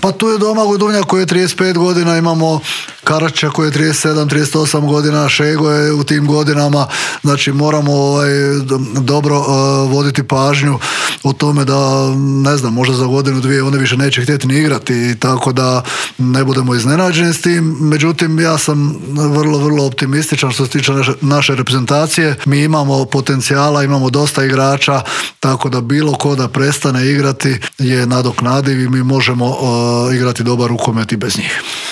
Pa tu je Domagoj Duvnjak koji je 35 godina, imamo Karačića koji je 37-38 godina, Šego je u tim godinama, znači moramo dobro voditi pažnju o tome da, ne znam, možda za godinu, dvije oni više neće htjeti ni igrati, tako da ne budemo iznenađeni s tim. Međutim, ja sam vrlo optimističan što se tiče naše reprezentacije. Mi imamo potencijala, imamo dosta igrača, tako da bilo ko da prestane igrati je nadoknadiv i mi možemo igrati dobar rukomet i bez njih.